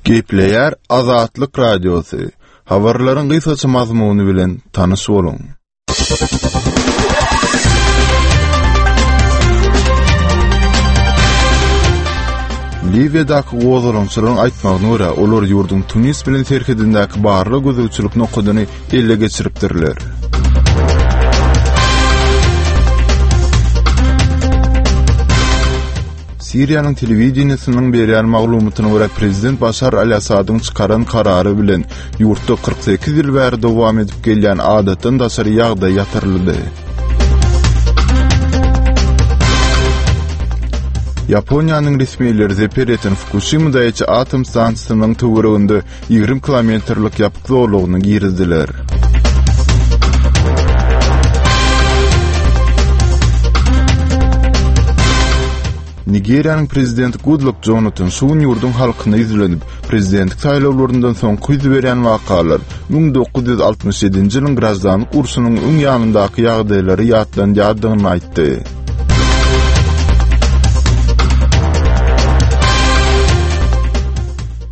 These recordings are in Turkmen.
Gepleýär Azatlyk Radiosy, Habarlaryň gysgaça mazmuny bilen tanyş boluň. Liwiýadaky gozgalaňçylaryň aýtmagyna görä, olar ýurduň Tunis bilen serhedindäki barlag-gözegçilik nokadyny ele geçiripdirler. Siriýanyň telewideniýesiniň berýän maglumatyna görä, prezident Başar al-Assadyň çykaran karary bilen ýurtda 48 ýyl bäri dowam edip gelýän adatdan daşary ýagdaý ýatyryldy. Ýaponiýanyň resmileri zeper ýeten Fukuşima Daýiçi atom stansiýasynyň töwereginde 20 kilometrlik ýapyk zolagyny girizdiler. Nigeriýanyň prezidenti Gudlak Jonatan şu gün ýurduň halkyna ýüzlenip, prezidentlik saýlawlaryndan soňky ýüz berýän wakalar 1967-nji ýylyň graždanlyk urşunyň öň ýanyndaky ýagdaýlary ýatlandýardygyny aýtdy.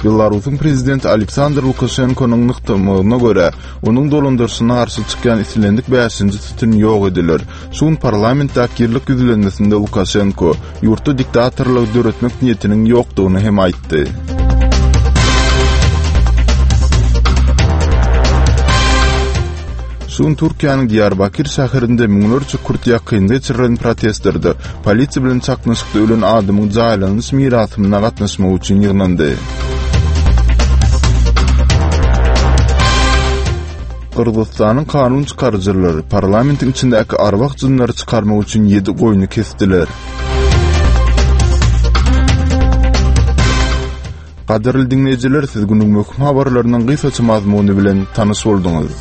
Belarusyň prezidenti Aleksandr Lukaşenkonyň nygtamagyna görä, onuň dolandyryşyna garşy çykýan islendik bäşinji sütün ýok ediler. Şu gün parlamentdäki ýyllyk ýüzlenmesinde Lukaşenko ýurtda diktatorlygy döretmek niýetiniň ýokdugyny hem aýtdy. Şu gün Türkiýäniň Diýarbakir şäherinde müňlerçe kürt ýakynda geçirilen protestlerde polisiýa bilen çaknyşykda ölen adamyň jaýlanyş mirasymyna gatnaşmak üçin ýygnandy. Gyrgyzystanyň kanun çykaryjylary parlamentiň içindäki arwah-jynlary çykarmak üçin ýedi goýny kesdiler. Gadyrly diňleýjiler, siz günüň möhüm habarlarynyň gysgaça mazmuny bilen tanyş bolduňyz.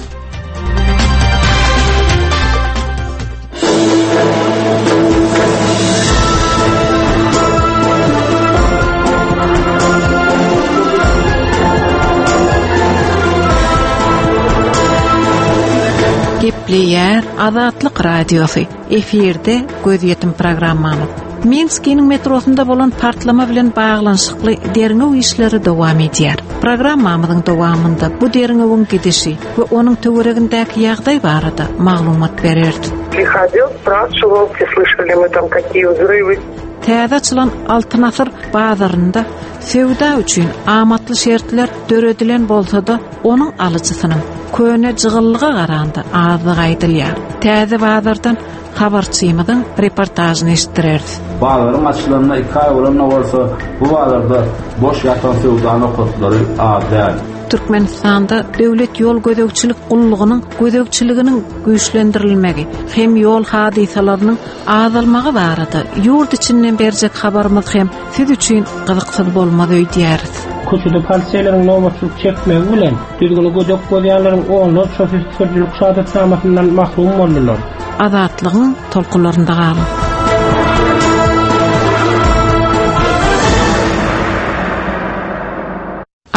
Gepleýär Azatlyk Radiosy, efirde Gözýetim programmamyz. Minskiniň metrosynda bolan partlama bilen baglanyşykly derňew işleri dowam edýär. Programmamyzyň dowamynda bu derňewiň gidişi we onuň töweregindäki ýagdaý barada maglumat bereris. Приходил, спрашивал, все слышали мы там какие взрывы. Täze açylan Altyn asyr bazarynda söwda üçin amatly şertler döredilen bolsa-da, onuň alyjysynyň köne jygyllyga garanda azdygy aýdylýar. Täze bazardan Habarçymyzyň reportažyny eşitdireris. Bazaryň açylanyna iki aý bolan-da bolsa, bu bazarda boş ýatan söwda nokatlary az däl. Türkmenistanda Döwlet ýol gözegçilik gullugynyň gözegçiliginiň güýçlendirilmegi hem ýol hadysalarynyň azalmagy barada ýurt içinden berjek habarymyz hem siz üçin gyzyksyz bolmaz öýdýäris. Köçede poliseýleriň nobatçylyk çekmegi bilen, düzgüni gödek bozýanlaryň onlarçasy sürüjilik şahadatnamasyndan mahrum boldular. Azatlygyň tolkunlarynda galyň!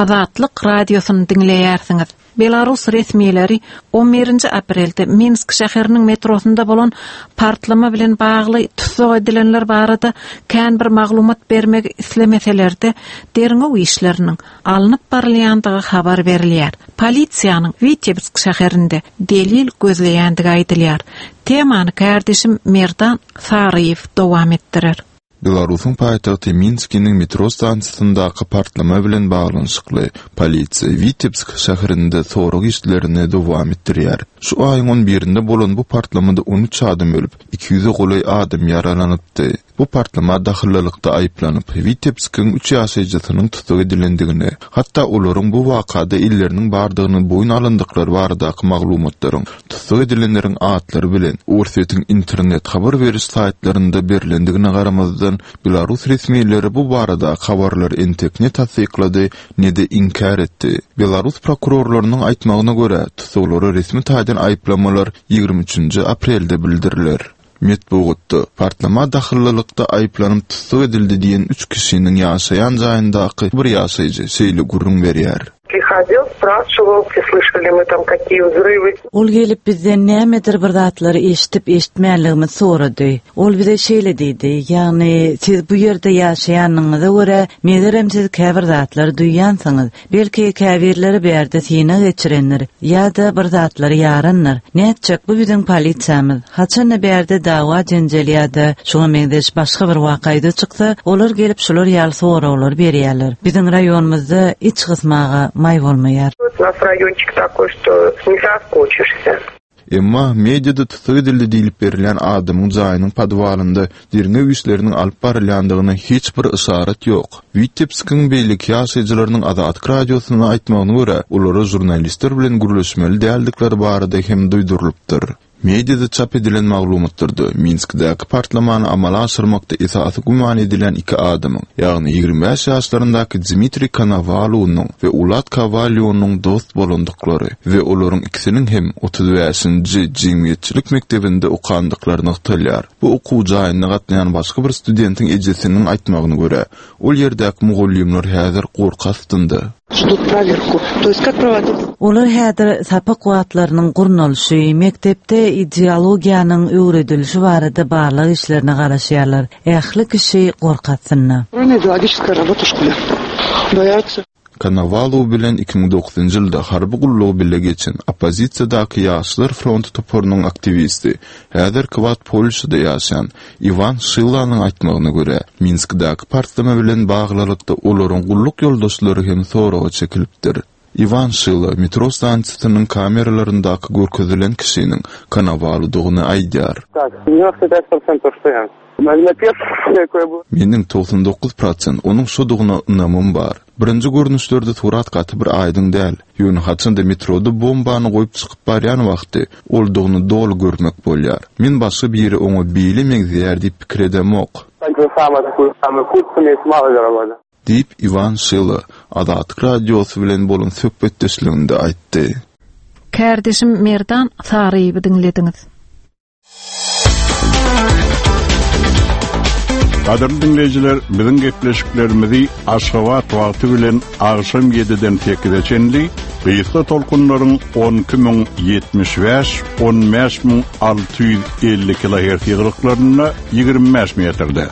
Azatlyk Radiosyny diňleýärsiňiz. Belarus resmileri on birinji aprelde Minsk şäheriniň metrosynda bolan partlama bilen bagly tussag edilenler barada kän bir maglumat bermegi islemeseler-de, derňew işleriniň alnyp barylýandygy habar berilýär. Polisiýanyň Witebsk şäherinde delil gözleýändigi aýdylýar. Temany kärdeşim Merdan Saryýew dowam etdirer. Belarusyň paýtagty Minskiniň metro stansiýasyndaky partlama bilen baglanyşykly polisiýa Witebsk şäherinde sorag işlerini dowam etdirýär. Şu aýyň on birinde bolan bu partlamada on üç adam ölüp, iki ýüze golaý adam ýaralanypdy. Bu partlama dahyllylykda aýyplanyp, Witebskiň üç ýaşaýjysynyň tussag edilendigini, hatda olaryň bu wakada elleriniň bardygyny boýun alandyklary baradaky maglumatlaryň tussag edilenleriň atlary bilen Orsýetiň internet habar beriş saýtlarynda berlendigine garamazdan, belarus resmileri bu baradaky habarlary entek ne tassyklady, ne-de inkär etdi. Belarus prokurorlarynyň aýtmagyna görä, tussaglara resmi taýdan aýyplamalar 23-nji aprelde bildiriler. Metbugatda, partlama dahyllylykda aýyplanyp tussag edildi diýen üç kişiniň ýaşaýan jaýyndaky bir ýaşaýjy şeýle gürrüň berýär. Подходил, спрашивал, слышали мы там какие взрывы. Ol gelip bizden nämedir bir zatlary eşidip-eşitmänligimizi sorady. Ol bize şeýle diýdi, ýagny siz bu ýerde ýaşaýanyňyza görä, megerem siz käbir zatlary duýýansyňyz. Belki käbirleri bärde synag geçirendir ýa-da bir zatlary ýarandyr. Nätjek, bu biziň polisiýamyz. Haçan-da bärde dawa-jenjel ýa-da şuňa meňzeş başga bir waka ýüze çyksa, olar gelip şular ýaly soraglary berýärler. Biziň raýonymyzda iç gysmaga maý bolmaýar. U nas raýonçik takoý, çto ne soskoçişsýa. Emma mediada tussag edildi diýlip berilýän adamyň jaýynyň podwalynda derňew işleriniň alyp barylýandygyna hiç bir yşarat ýok. Witebskiň beýleki ýaşaýjylarynyň Azatlyk Radiosyna aýtmagyna görä, olara žurnalistler bilen gürleşmeli däldikleri barada hem duýdurylypdyr. Mediada çap edilen maglumatlarda Minskdäki partlamany amala aşyrmakda esasy güman edilýän iki adamyň, ýagny 25 ýaşlaryndaky Dmitriý Konowalownyň we Ulat Kowalýonyň dost bolandyklary we olaryň ikisiniň hem 35-nji jemgyýetçilik mekdebinde okandyklary nygtalýar. Bu okuw jaýynda gatnaýan başga bir studentiň ejesiniň aýtmagyna görä, ol ýerdäki mugallymlar häzir gorky astynda. Olar häzir sapak wagtlarynyň gurnalyşy, mekdepde ideologiýanyň öwredilişi barada barlag işlerine garaşýarlar. Ähli kişi gorky astynda. Konowalow bilen 2009-njy ýylda harby gullugy bile geçen oppozisiýadaky Ýaşlar fronty toparynyň aktiwisti, häzirki wagt Polşada ýaşaýan Iwan Şilanyň aýtmagyna görä, Minskdäki partlama bilen baglylykda olaryň gulluk ýoldaşlary hem soraga çekilipdir. Iwan Şila metro stansiýasynyň kameralaryndaky görkezilen kişiniň Konowalodygyny aýdýar. Meniň 99 prosent onuň şodugyna ynamym bar. Birinji görnüşlerde surat gaty bir aýdyň däl, ýöne haçanda metroda bombany goýup çykyp barýan wagty oldugyny doly görmek bolýar. Men başga biri oňa beýle meňzeýär diýip pikir edemok. Diýip, Iwan Şila Azatlyk Radiosy bilen bolan söhbetdeşliginde aýtdy. Kärdeşim Merdan Saryýewi diňlediňiz. Gadyrly diňleýjiler, biziň gepleşiklerimizi Aşgabat wagty bilen agşam 7-den 8-e çenli gysga tolkunlaryň 12075, 15650 kilohertz ýygylyklarynda 25 metrde,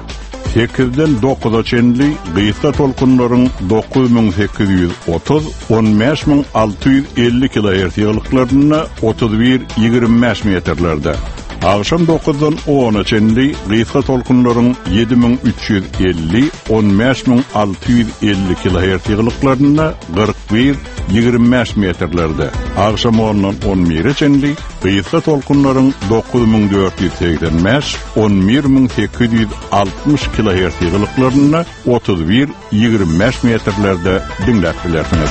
8-den 9-a çenli gysga tolkunlaryň 9830, 15650 kilohertz ýygylyklarynda 31, 25 metrlerde. Agşam 9-dan 10-a çenli gysga tolkunlaryň 7350, 15650 kilohertz ýygylyklarynda 41, 25 metrlerde. Agşam 10-dan 11-e çenli gysga tolkunlaryň 9485, 11860 kilohertz ýygylyklarynda 31, 25 metrlerde diňläp bilersiňiz.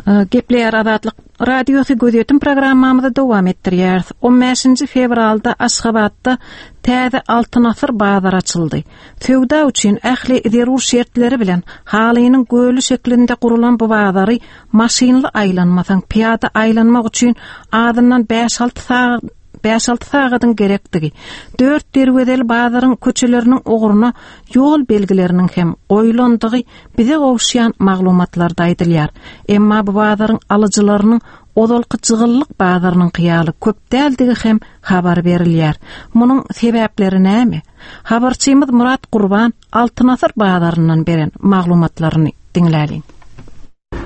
Gepleýär Azatlyk Radiosy gözýetim programmamyzy dowam etdirýäris. 15-nji fewralda Aşgabatda täze Altyn asyr bazary açyldy. Söwda üçin ähli zerur şertleri bilen halynyň göli şeklinde gurulan bu bazary maşynly aýlanmasaň, pyýada aýlanmak üçin azyndan bäş-alty sagat bäş-alty sagadyň gerekdigi, dört derwezeli bazaryň köçeleriniň ugruna ýol belgileriniň hem goýlandygy bize gowuşýan maglumatlarda aýdylýar. Emma bu bazaryň alyjylarynyň ozalky jygyllyk bazarynyňky ýaly köp däldigi hem habar berilýär. Munuň sebäpleri näme? Habarçymyz Myrat Gurban Altyn asyr bazaryndan beren maglumatlaryny diňläliň.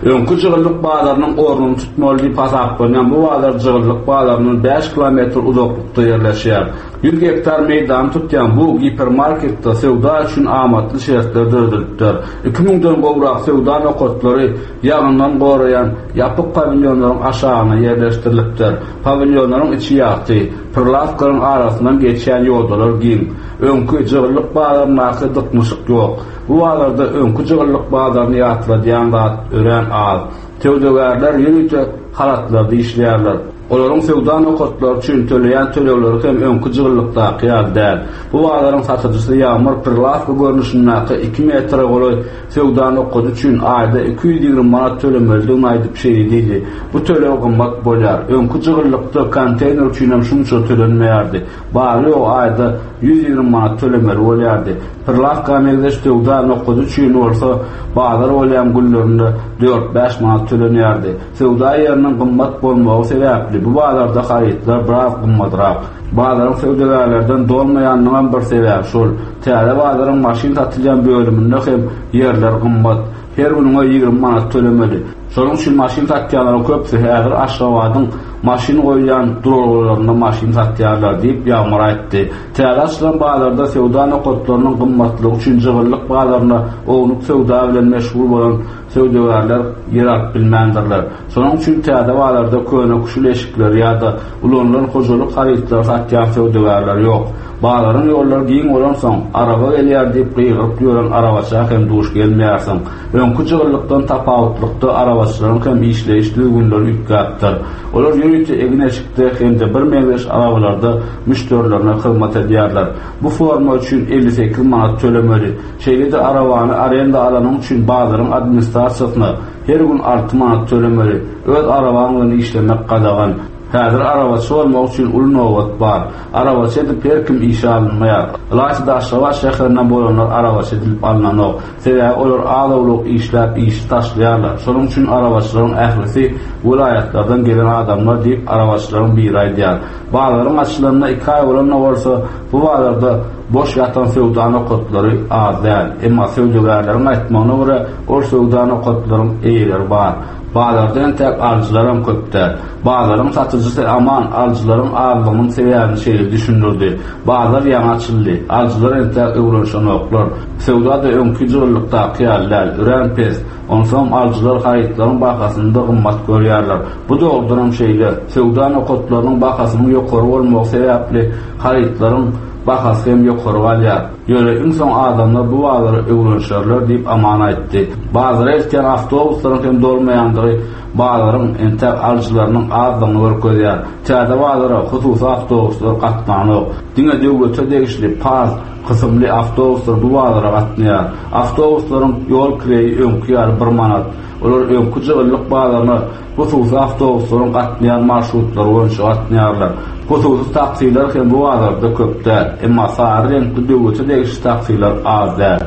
Öňki Jygyllyk bazarynyň ornuny tutmaly diýip hasaplanýan bu bazar Jygyllyk bazaryndan bäş kilometr uzaklykda ýerleşýär. Ýüz gektar meýdany tutýan bu gipermarketde söwda üçin amatly şertler döredilipdir. Iki müňden gowrak söwda nokatlary ýagyndan goraýan ýapyk pawilýonlaryň aşagyna ýerleşdirilipdir. Pawilýonlaryň içi ýagty, prilawkalaryň arasyndan geçýän ýodalar giň. Öňki Jygyllyk bazaryndaky dyknyşyk ýok. Bu bazarda öňki jygyllyk bazaryny ýatladýan zat örän az. Söwdagärler ýörite halatlarda işleýärler. Olaryň söwda nokatlary üçin töleýän tölegleri hem öňki jygyllykdaky ýaly däl. Bu bazaryň satyjysy Ýagmyr prilawka görnüşindäki iki metre golaý söwda nokady üçin aýda 220 manat tölemelidigini aýdyp şeýle diýdi, Bu töleg gymmat bolýar. Öňki jygyllykda konteýner üçinem şunça tölenmeýärdi. Bary-ýogy aýda 120 manat tölemeli bolýardy. Prilawka meňzeş söwda nokady üçin bolsa bazar bolýan günlerinde dört-bäş manat tölenýärdi. Söwda ýeriniň gymmat bolmagy sebäpli bu bazarda harytlar biraz gymmadrak. Bazaryň söwdagärlerden dolmaýanynyňam bir sebäbi şol. Täze bazaryň maşyn satylýan bölüminde hem ýerler gymmat. Her günüňe 20 manat tölemeli. Şonuň üçin maşyn satýanlaryň köpüsi häzir Aşgabadyň maşyn goýulýan duralgalarynda maşyn satýarlar diýip, Ýagmyr aýtdy. Täze açylan bazarda söwda nokatlarynyň gymmatlygy üçin jygyllyk bazarynda ownuk söwda bilen meşgul bolan söwdagärler ýer alyp bilmändirler. Şonuň üçin täze bazarda köne-küşül eşikleri ýa-da ulanylan hojalyk harytlary satýan söwdagärler ýok. Bazaryň ýollary giň bolansoň, araba gelýär diýip gygyryp ýören arabaça hem duş gelmeýärsiň. Öňki jygyllykdan tapawutlykda arabaçylaryň hem işleýiş düzgünleri üýtgäpdir. Olar ýörite egin-eşikde hem-de birmeňzeş arabalarda müşderilerine hyzmat edýärler. Bu forma üçin 58 manat tölemeli. Şeýle-de arabany arenda alanyň üçin bazaryň administrasiýasyna her gün 6 manat tölemeli. Öz arabaň bilen işlemek gadagan. Häzir arabaçy bolmak üçin uly nobat bar. Arabaçy edip her kim işe alynmaýar. Ylaýta-da Aşgabat şäherinden bolanlar arabaçy edilip alnanok. Sebäbi olar az-owlak işläp işi taşlaýarlar. Şonuň üçin arabaçylaryň ählisi welaýatlardan gelen adamlar diýip, arabaçylaryň biri aýdýar. Bazaryň açylanyna iki aý bolan-da bolsa, bu bazarda boş ýatan söwda nokatlary az däl. Emma söwdagärleriň aýtmagyna görä, ol söwda nokatlaryň eýeleri bar. Bazarda entäk alyjylaram köp däl. Bazaryň satyjysy Aman alyjylaryň azlygynyň sebäbini şeýle düşündirdi, Bazar ýaňy açyldy. Alyjylar entäk öwrenişenoklar. Söwda-da öňki jygyllykdaky ýaly däl, örän pes. Onsoňam alyjylar harytlaryň bahasyny-da gymmat görýärler. Bu dogrudanam şeýle. Söwda nokatlarynyň bahasynyň ýokary bolmagy sebäpli harytlaryň bahasy hem ýokary galýar. Ýöne iň soň adamlar bu bazara öwrenişerler diýip Aman aýtdy. Bazara eltýän awtobuslaryň hem dolmaýandygy bazaryň entäk alyjylarynyň azdygyny görkezýär. Täze bazara hususy awtobuslar gatnanok. Diňe döwlete degişli PAZ kysymly awtobuslar bu bazara gatnaýar. Awtobuslaryň ýol kireýi öňki ýaly bir manat. Olar öňki jygyllyk bazaryna hususy awtobuslaryň gatnaýan marşrutlary boýunça gatnaýarlar. Hususy taksiler hem bu bazarda köp däl. Emma sary reňkli döwlete degişli taksiler az däl.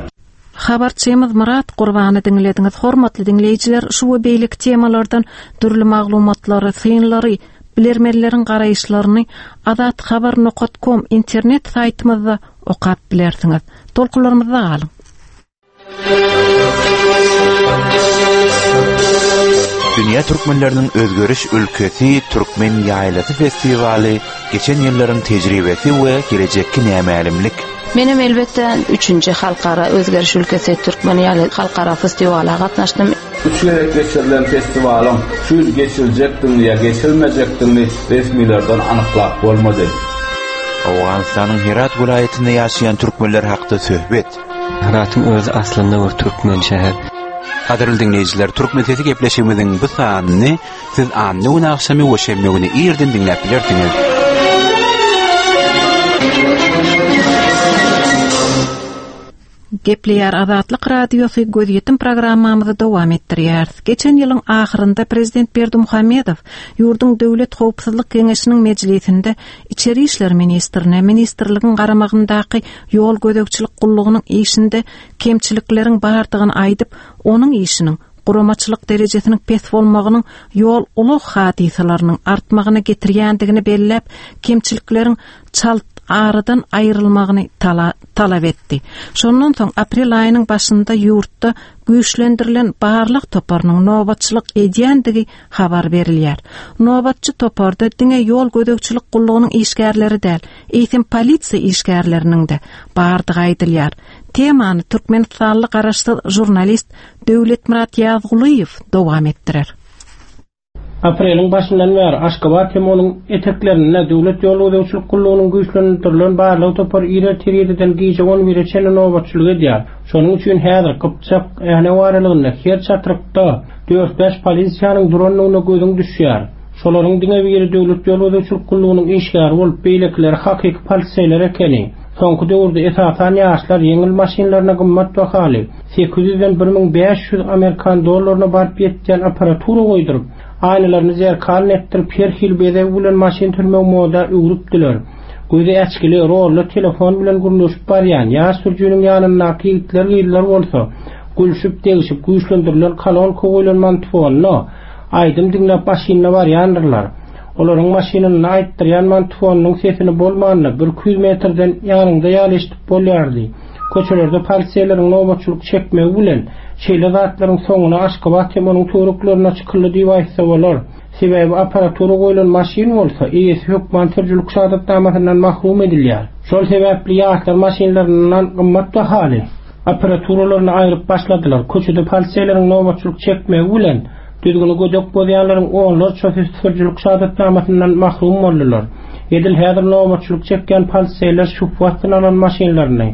Habarçymyz Myrat Gurbany diňlediňiz. Hormatly diňleýjiler, şu we beýleki temalardan dürli maglumatlary, synlary, bilermenleriň garaýyşlaryny azathabar nokat kom internet saýtymyzda okap bilersiňiz. Tolkunlarymyzda galyň. Dünýä türkmenleriniň özgeriş ülkesi Türkmen ýaýlasy festiwaly geçen ýyllaryň tejribesi we gelejekki nämälimlik. Menem elbetde üçünji halkara özgeriş ülkesi Türkmen ýaly halkara festiwala gatnaşdym. Üç gezek geçirilen festiwalyň şu ýyl geçiriljekdigini ýa geçirilmejekdigini resmilerden anyklap bolmady. Owganystanyň Herat welaýatynda ýaşaýan türkmenler hakda söhbet. Heratyň özi aslynda bir türkmen şäher. Gadyrly diňleýjiler, Türkmen sesi gepleşigimiziň bu sanyny siz anna güni agşamy we şenbe güni irden diňläp bilersiňiz. Gepleýär Azatlyk Radiosy gözýetim programmamyzy dowam etdirýäris. Geçen ýylyň ahyrynda prezident Berdimuhamedow ýurduň Döwlet howpsuzlyk geňeşiniň mejlisinde içeri işler ministrine ministrligiň garamagyndaky ýol gözegçilik gullugynyň işinde kemçilikleriň bardygyny aýdyp, onuň işiniň guramaçylyk derejesiniň pes bolmagynyň ýol-ulag hadysalarynyň artmagyna getirýändigini belläp, kemçilikleriň çalt aradan aýrylmagyny talap etdi. Şondan soň aprel aýynyň başynda ýurtda güýçlendirilen barlag toparynyň nobatçylyk edýändigi habar berilýär. Nobatçy toparda diňe ýol gözegçilik gullugynyň işgärleri däl, eýsem polisiýa işgärleriniň-de bardygy aýdylýar. Temany türkmenistanly garaşsyz žurnalist Döwletmyrat Ýazgulyýew dowam etdirer. Apreliň başyndan bäri Aşgabat hem onuň eteklerinde Döwlet ýol gözegçilik gullugynyň güýçlendirilen barlag topary ir ertir ýediden gije on bire çenli nobatçylyk edýär. Şonuň üçin häzir Gypjak, Änew aralygynda her çatrykda dört-bäş polisiýanyň durandygyna gözüň düşýär. Şolaryň diňe biri Döwlet ýol gözegçilik gullugynyň işgäri bolup, beýlekileri hakyky poliseýler ekeni. Soňky döwürde esasan ýaşlar ýeňil maşynlaryna gymmat bahaly, 800-den 1500 amerikan dollaryna baryp ýetýän apparatura goýduryp, aýnalaryny zerkalny etdirip, her hili bezeg bilen maşyn sürmegi moda öwrüpdiler. Gözi äçgili, rolly telefon bilen gürleşip barýan ýaş sürüjiniň ýanyndaky ýigitler-gyzlar bolsa, gülşüp-degşip, güýçlendirilen kolonka goýlan mantifonda aýdym diňläp maşynda barýandyrlar. Olaryň maşynynda aýtdyrýan mantifonynyň sesini bolmanda birki ýüz metrden ýanyňda ýaly eşidip bolýardy. Köçelerde poliseýleriň nobatçylyk çekmegi bilen, şeýle zatlaryň soňuna Aşgabat hem onuň töwereklerinde çykyldy diýip aýtsa bolar. Sebäbi apparatura goýlan maşyn bolsa, eýesi hökman sürüjilik şahadatnamasyndan mahrum edilýär. Şol sebäpli ýaşlar maşynlaryndan gymmat bahaly apparaturalaryny aýryp başladylar. Köçede poliseýleriň nobatçylyk çekmegi bilen, düzgüni gödek bozýanlaryň onlarçasy sürüjilik şahadatnamasyndan mahrum boldular. Edil häzir nobatçylyk çekýän poliseýler şübhe astyna alan maşynlaryny,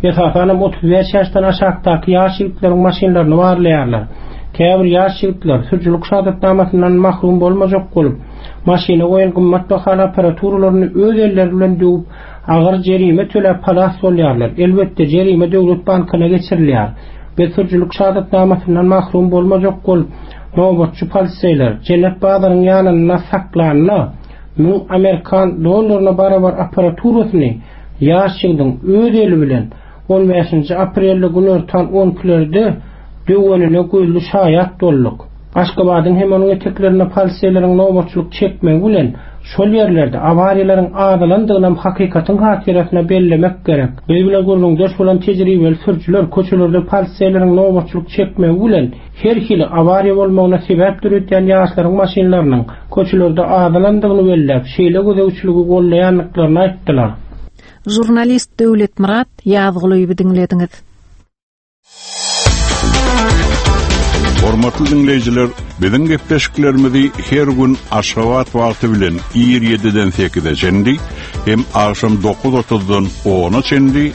esasanam 35 ýaşdan aşakdaky ýaş ýigitleriň maşynlaryny barlaýarlar. Käbir ýaş ýigitler sürüjilik şahadatnamasyndan mahrum bolmajak bolup, maşyna goýan gymmat bahaly apparaturalaryny öz elleri bilen döwüp, agyr jerime töläp halas bolýarlar. Elbetde, jerime döwlet bankyna geçirilýär. Biz sürüjilik şahadatnamasyndan mahrum bolmajak bolup, nobatçy poliseýler Jennet bazaryň ýanynda saklanda, 1000 amerikan dollaryna barabar apparaturasyny ýaş ýigidiň öz eli bilen on bäşinji aprelde günortan on ikilerde döwenine gözli şaýat bolduk. Aşgabadyň hem onuň eteklerinde poliseýleriň nobatçylyk çekmegi bilen şol ýerlerde awariýalaryň azalandygynam hakykatyň hatyrasyna bellemek gerek. Biz bilen gürrüňdeş bolan tejribeli sürüjiler köçelerde poliseýleriň nobatçylyk çekmegi bilen her hili awariýa bolmagyna sebäp döredýän ýaşlaryň maşynlarynyň köçelerde azalandygyny belläp, şeýle gözegçiligi goldaýandyklaryny aýtdylar. Žurnalist Döwletmyrat Ýazgulyýewi diňlediňiz. Hormatly diňleýjiler, biziň gepleşiklerimizi her gün Aşgabat wagty bilen ir 7-den 8-e çenli hem agşam 9:30-dan 10-a çenli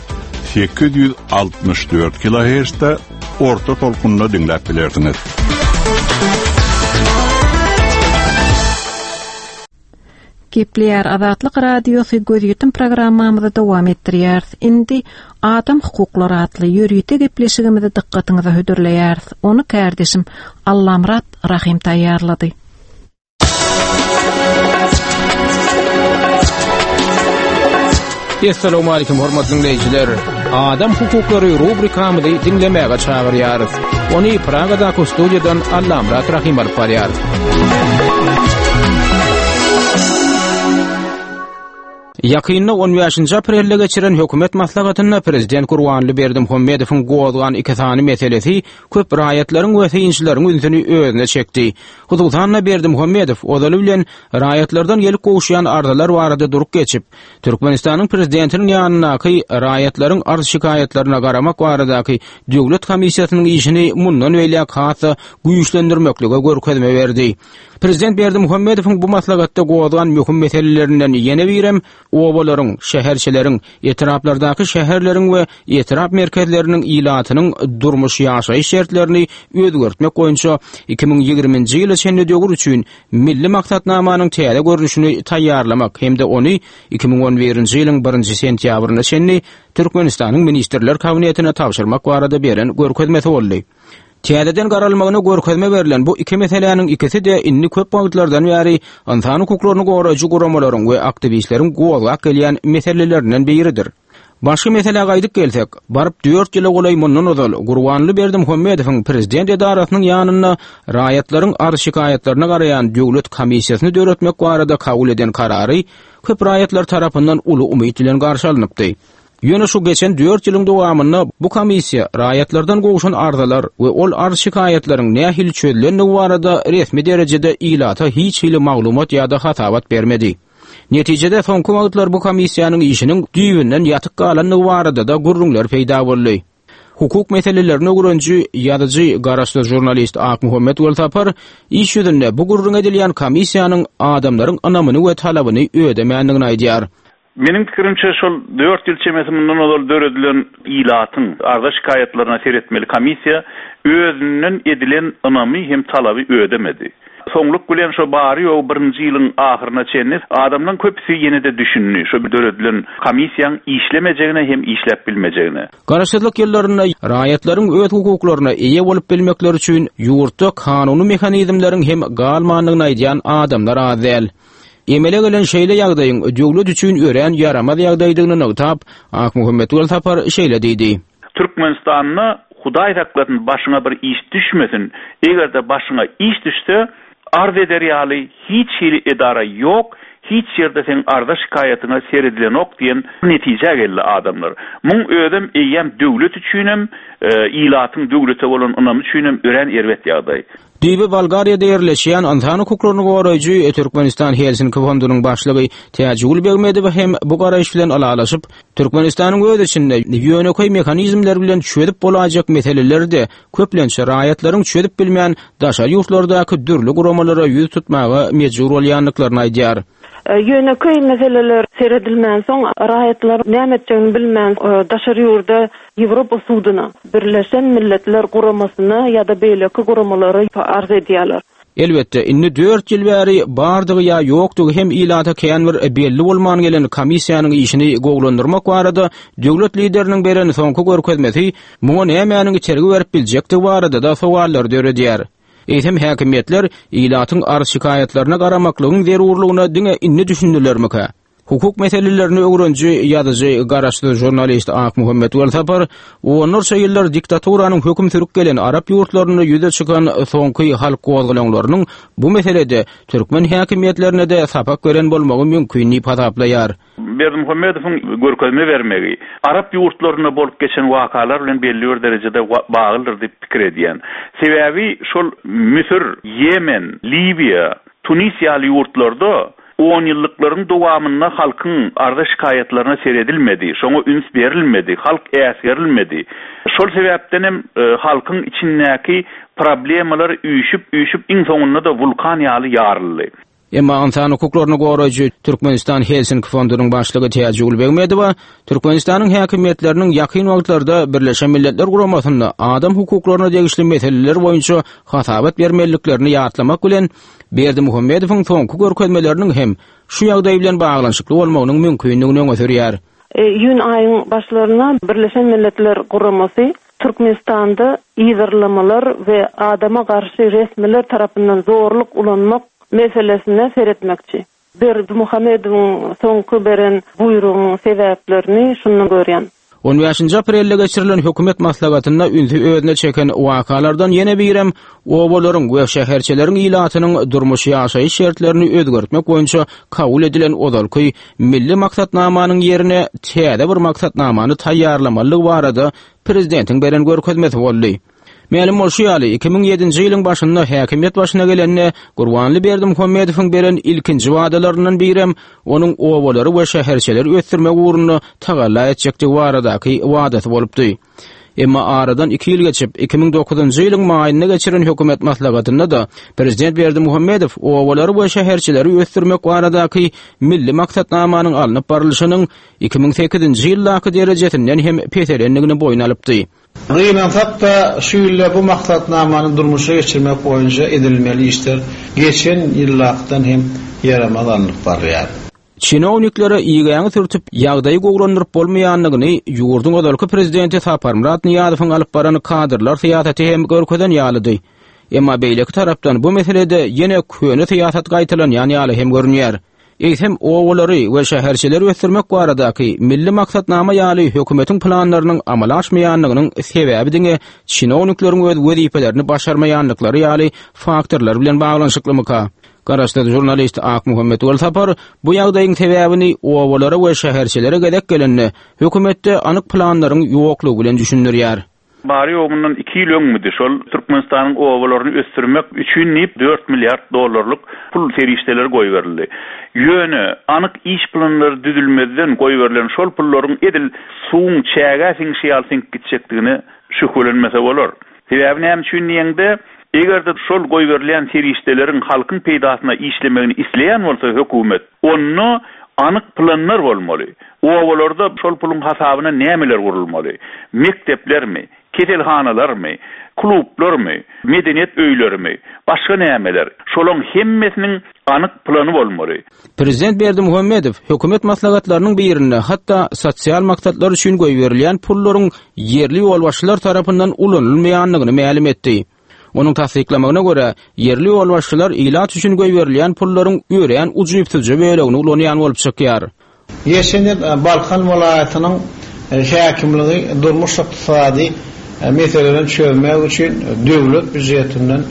864 kHz-de orta tolkunda diňläp bilersiňiz. Gepleýär Azatlyk Radiosy gözýetim programmamyzy dowam etdirýäris. Indi Adam hukuklary atly ýörite gepleşigimizi dykgatyňyza hödürleýäris. Ony kärdeşim Allamyrat Rahym taýýarlady. Essalamu aleýkum hormatly diňleýjiler. Adam hukuklary rubrikamyzy diňlemäge çagyrýarys. Ony Pragadaky studiýadan Allamyrat Rahym alyp barýar. Ýakynda on bäşinji aprelde geçiren hökümet maslahatynda prezident Gurbanguly Berdimuhamedowyň gozgan iki sany meselesi köp raýatlaryň we synçylaryň ünsüni özüne çekdi. Hususan-da, Berdimuhamedow ozaly bilen raýatlardan gelip gowuşýan arzalar barada durup geçip, Türkmenistanyň Prezidentiniň ýanyndaky raýatlaryň arz-şikaýatlaryna garamak baradaky döwlet komissiýasynyň işini mundan beýläk has-da güýçlendirmeklige görkezme berdi. Prezident Berdimuhamedowyň bu maslahatda gozgan möhüm meselelerinden ýene birem obalaryň, şäherçeleriň, etraplardaky şäherleriň we etrap merkezleriniň ilatynyň durmuş-ýaşaýyş şertlerini özgertmek boýunça 2020-nji ýyla çenli döwür üçin Milli maksatnamanyň täze görnüşini taýýarlamak hem-de ony 2011-nji ýylyň birinji sentýabryna çenli Türkmenistanyň Ministrler Kabinetine tabşyrmak barada beren görkezmesi boldy. Täzeden garalmagyna görkezme berlen bu iki meseläniň ikisi-de indi köp wagtlardan bäri ynsan hukuklaryny goraýjy guramalaryň we aktiwistleriň gozgap gelýän meselelerinden biridir. Başga meselä gaýdyp gelsek, baryp dört ýyla golaý mundan ozal Gurbanguly Berdimuhamedowyň prezident edarasynyň ýanynda raýatlaryň arz-şikaýatlaryna garaýan döwlet komissiýasyny döretmek barada kabul eden karary köp raýatlar tarapyndan uly umyt bilen garşy alnypdy. Ýöne şu geçen dört ýylyň dowamynda bu komissiýa raýatlardan gowşan arzalar we ol arz-şikaýatlaryň nähili çözülendigi barada resmi derejede ilata hiç hili maglumat ýa-da hasabat bermedi. Netijede soňky wagtlar bu komissiýanyň işiniň düýbünden ýatyk galandygy barada-da gürrüňler peýda boldy. Hukuk meselelerini öwreniji, ýazyjy, garaşsyz žurnalist Akmuhammet Welsapar iş ýüzünde bu gürrüňi edilýän komissiýanyň adamlaryň ynamyny we talabyny ödemändigini aýdýar. Meniň pikirimçe, şol dört ýyl çemesi mundan ozal döredilen ilatyň arza-şikaýatlaryna seretmeli komissiýa özünden edilen ynamy hem talaby ödemedi. soňluk bilen şo bary-ýogy birinji ýylyň ahyryna çenli adamlaň köpüsi ýene-de düşündi şo döredilen komissiýaň işlemejegine hem işläp bilmejegine. Garaşsyzlyk ýyllarynda raýatlaryň öz hukuklaryna eýe bolup bilmekleri üçin ýurtda kanuny mehanizmleriň hem galmandygyny aýdýan adamlar az däl. Emele gelen şeýle ýagdaýyň döwlet üçin örän ýaramaz ýagdaýdygyny nygtap, Akmuhammet Welsapar şeýle diýdi. Türkmenistanda Hudaý saklasyn başyňa bir iş düşmesin, eger-de başyňa iş düşse, arz eder ýaly hiç hili edara ýok, hiç ýerde seň arza-şikaýatyňa seredilenok diýen netijä geldi adamlar. Muň özem eýýäm döwlet üçinem, ilatyň döwlete bolan ynamy üçinem örän erbet ýagdaý. Düýbi Bolgariýada ýerleşýän ynsan hukuklaryny goraýjy Türkmenistan Helsinki fondunyň başlygy Täjigül Begmedowa hem bu garaýyş bilen ylalaşyp, Türkmenistanyň öz içinde ýönekeý mehanizmler bilen çözüp bolaýjak meseleleri-de köplenç raýatlaryň çözüp bilmän daşary ýurtlardaky dürli guramalara ýüz tutmaga mejbur bolýandyklaryny aýdýar. Ýönekeý meseleler seredilmänsoň, raýatlar näme etjegini bilmän daşary ýurda Ýewropa suduna, Birleşen Milletler Guramasyna ýa-da beýleki guramalara arz edýärler. Elbetde, indi dört ýyl bäri bardygy ýa ýokdugy hem ilata kän bir belli bolman gelen komissiýanyň işini gowulandyrmak barada döwlet Lideriniň beren soňky görkezmesi muňa nämäniň itergi berip biljekdigi barada-da sowallary döredýär. Eýsem, häkimiýetler ilatyň arz-şikaýatlaryna garamaklygyň zerurlygyna diňe indi düşündilermikä? Hukuk meselelerini öwreniji, ýazyjy, garaşsyz žurnalist Akmuhammet Welsapar onlarça ýyllar diktaturanyň höküm sürüp gelen arap ýurtlarynda ýüze çykan soňky halk gozgalaňlarynyň bu meselede türkmen häkimiýetlerine-de sapak beren bolmagy mümkin diýip hasaplaýar. Berdimuhamedowyň görkezme bermegi arap ýurtlarynda bolup geçen wakalar bilen belli bir derejede baglydyr diýip pikir edýän. Sebäbi şol Müsür, Ýemen, Liwiýa, Tunis ýaly ýurtlarda Onýyllyklaryň dowamynda halkyň arza-şikaýatlaryna seredilmedi, şoňa üns berilmedi, halk äsgerilmedi. Şol sebäpden hem halkyň içindäki problemalar üýşüp-üýşüp iň soňunda-da wulkan ýaly ýaryldy. Emma ynsan hukuklaryny goraýjy Türkmenistan Helsinki fondunyň başlygy Täjigül Begmedowa Türkmenistanyň häkimiýetleriniň ýakyn wagtlarda Birleşen Milletler Guramasynda adam hukuklaryna degişli meseleler boýunça hasabat bermeliliklerini ýatlamak bilen, Berdimuhamedowyň soňky görkezmeleriniň hem şu ýagdaý bilen baglanyşykly bolmagynyň mümkindigini öňe sürýär. Iýun aýyň başlarynda Birleşen Milletler Guramasy Türkmenistanda yzarlamalar we adama garşy resmiler tarapyndan zorluk ulanmak meselesine seretmekçi. Berdimuhamedowyň soňky beren buýrugynyň sebäplerini şundan görýän. On bäşinji aprelde geçirilen hökümet maslahatynda ünsi özüne çeken wakalardan ýene birem obalaryň we şäherçeleriň ilatynyň durmuş-ýaşaýyş şertlerini özgertmek boýunça kabul edilen ozalky Milli maksatnamanyň ýerine täze bir maksatnamany taýýarlamalydygy barada prezidentiň beren görkezmesi boldy. Mälim bolşy ýaly, 2007-nji ýylyň başynda häkimiýet başyna gelende Gurbanly Berdimuhamedowyň beren ilkinji wadalaryndan birem onuň obalary we şäherçeleri ösdürmek ugrunda tagalla etjekdigi baradaky wadasy bolupdy. Emma aradan iki ýyl geçip, 2009-njy ýylyň maýynda geçiren hökümet maslahatynda-da prezident Berdimuhamedow obalary we şäherçeleri ösdürmek baradaky milli maksatnamanyň alnyp barlyşynyň 2008-nji ýyldaky derejesinden hem peselendigini boýun alypdy. Gynansak-da, şu ýylda bu maksatnamany durmuşa geçirmek boýunça edilmeli işler geçen ýyldakydan hem ýaramaz alnyp barylýar. Çinowniklere igäňi sürtüp, ýagdaýy gowulandyryp bolmaýandygyny ýurduň ozalky prezidenti Saparmyrat Nyýazowyň alyp baran kadrlar syýasaty hem görkezen ýalydy. Emma beýleki tarapdan bu meselede ýene köne syýasat gaýtalanýan ýaly hem görünýär. Eýsem, obalary we şäherçeleri ösdürmek baradaky Milli maksatnama ýaly hökümetiň planlarynyň amala aşmaýanlygynyň sebäbi diňe çinownikleriň öz wezipelerini başarmaýanlyklary ýaly faktorlar bilen baglanyşyklymyka? Garaşsyz žurnalist Akmuhammet Welsapar bu ýagdaýyň sebäbini obalara we şäherçelere gezek gelende hökümetde anyk planlaryň ýoklugy bilen düşündirýär. Bary-ýogy mundan iki ýyl öňmüdi, şol Türkmenistanyň obalaryny ösdürmek üçin diýip, dört milliard dollarlyk pul serişdeleri goýberildi. Ýöne, anyk iş planlary düzülmezden goýberilen şol pullaryň edil suwuň çägä siňşi ýaly siňip gitjekdigine şübhelenmese bolar. Sebäbi näme üçin diýeňde, eger-de şol goýberilýän serişdeleriň halkyň peýdasyna işlemegini isleýän bolsa hökümet, onda anyk planlar bolmaly. Obalarda şol puluň hasabyna nämeler gurulmaly? Mekdeplermi? Keselhanalarmy, klublarmy, medeniýet öýlerimi, başga nämeler, şolaň hemmesiniň anyk plany bolmaly. Prezident Berdimuhamedow hökümet maslahatlarynyň birinde hatda sosial maksatlar üçin goýberilýän pullaryň ýerli ýolbaşçylar tarapyndan ulanylmaýandygyny mälim etdi. Onuň tassyklamagyna görä, ýerli ýolbaşçylar ilat üçin goýberilýän pullaryň örän ujypsyzja bölegini ulanýan bolup çykýar. Geçen ýyl Balkan welaýatynyň häkimligi durmuş-ykdysady meselelerini çözmek üçin döwlet býujetinden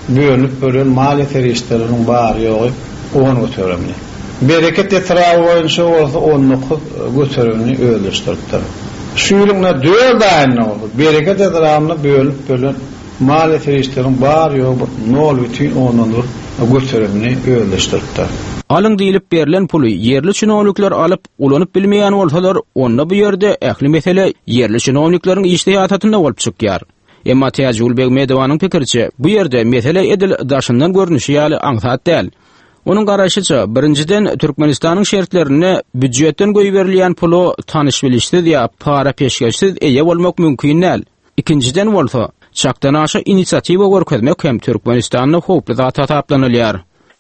bölünip berlen maliýe serişdeleriniň bary-ýogy on göterimini, Bereket etraby boýunça bolsa 19 göterimini özleşdiripdir. Şu ýylyň dört aýynda bolsa Bereket etrabynda bölünip berlen maliýe serişdeleriniň bary-ýogy bir nol bütin ondan bir göterimini özleşdiripdir. Alyň diýlip berlen puly ýerli çinownikler alyp, ulanyp bilmeýän bolsalar, onda bu ýerde ähli mesele ýerli çinownikleriň iş syýasatynda bolup çykýar. Emma Täjigül Begmedowanyň pikiriçe, bu ýerde mesele edil daşyndan görnüşi ýaly aňsat däl. Onuň garaýşyça, birinjiden, Türkmenistanyň şertlerinde býujetden goýberilýän pula tanyş-bilişsiz ýa para-peşgeşsiz eýe bolmak mümkin däl. Ikinjiden bolsa, çakdanaşa inisiatiwa görkezmek hem Türkmenistanda howply zat hasaplanylýar.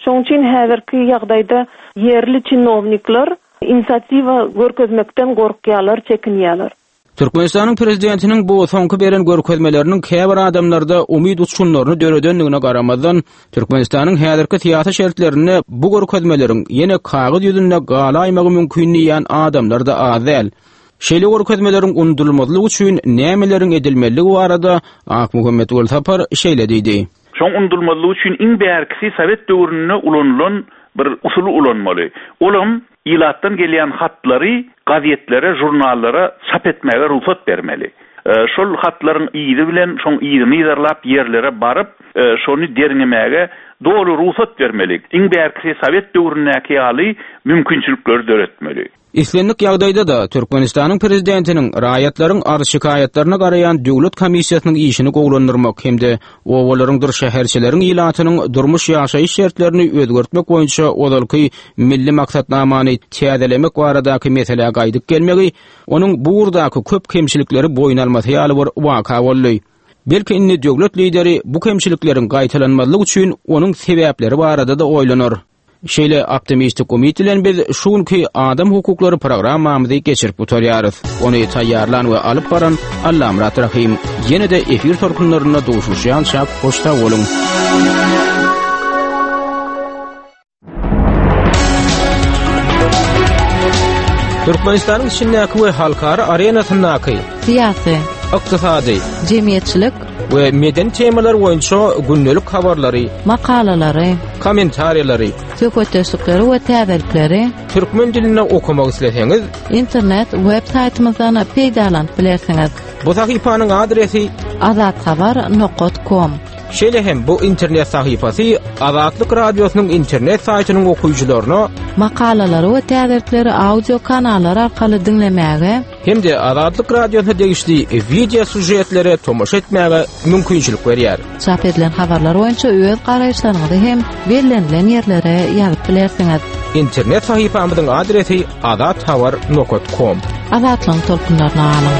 Şonuň üçin häzirki ýagdaýda ýerli çinownikler inisiatiwa görkezmekden gorkýarlar, çekinýärler. Türkmenistanyň prezidentiniň bu soňky beren görkezmeleriniň käbir adamlarda umyt uçgunlaryny döredendigine garamazdan, Türkmenistanyň häzirki syýasy şertlerinde bu görkezmeleriň ýene kagyz ýüzünde galaýmagy mümkin diýýän adamlar-da az däl. Şeýle görkezmeleriň unudylmazlygy üçin nämeleriň edilmelidigi barada Akmuhammet Welsapar şeýle diýdi. Şoň unudylmazlygy üçin iň bärkisi sowet döwründe ulanylan bir usuly ulanmaly. Olam ilatdan gelýän hatlary gazetlere, žurnallara çap etmäge rugsat bermeli. Şol hatlaryň yzy bilen, şoň yzyny yzarlap ýerlere baryp, şony derňemäge doly rugsat bermeli. Iň bärkisi sowet döwründäki ýaly mümkinçilikleri döretmeli. Islendik ýagdaýda-da, Türkmenistanyň Prezidentiniň raýatlaryň arz-şikaýatlaryna garaýan döwlet komissiýasynyň işini gowulandyrmak hem-de obalaryňdyr şäherçeleriň ilatynyň durmuş-ýaşaýyş şertlerini özgertmek boýunça ozalky Milli maksatnamany täzelemek baradaky meselä gaýdyp gelmegi onuň bu ugurdaky köp kemçilikleri boýun almasy ýaly bir waka boldy. Belki indi döwlet Lideri bu kemçilikleriň gaýtalanmazlygy üçin onuň sebäpleri barada-da oýlanar. Şeýle optimistik umyt bilen biz şu günki Adam hukuklary programmamyzy geçirip gutarýarys. Ony taýýarlan we alyp baran Allamyrat Rahym. Ýene-de efir tolkunlarynda duşuşýançak hoş sag boluň. Türkmenistanyň içindäki we halkara arenasyndaky syýasy, ykdysady, jemgyýetçilik we medeni temalar boýunça gündelik habarlary, makalalary, kommentariýalary, söhbetdeşlikleri we täzelikleri türkmen dilinde okamak isleseňiz, internet web saýtymyzdan peýdalanyp bilersiňiz. Bu sahypanyň adresi azathabar nokat kom. Şeýle hem bu internet sahypasy Azatlyk Radiosynyň internet saýtynyň okyjylaryna makalalary we täzelikleri audio kanallar arkaly diňlemäge hem-de Azatlyk Radiosyna degişli wideo sýužetlere tomaşa etmäge mümkinçilik berýär. Çap edilen habarlar boýunça öz garaýyşlaryňyzy hem bellenilen ýerlere ýazyp bilersiňiz. Internet sahypamyzyň adresi azathabar nokat kom. Azatlygyň tolkunlaryna galyň!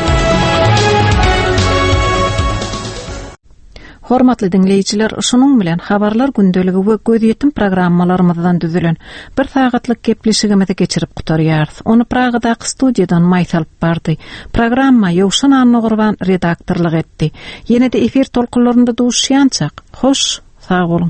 Hormatly diňleýjiler, şunuň bilen Habarlar gündeligi we Gözýetim programmalarymyzdan düzülen bir sagatlyk gepleşigimizi geçirip gutarýarys. Ony Pragadaky studiýadan Maýsa alyp bardy. Programma Ýowşan Annagurban redaktorlyk etdi. Ýene-de efir tolkunlarynda duşuşýançak, hoş, sag boluň!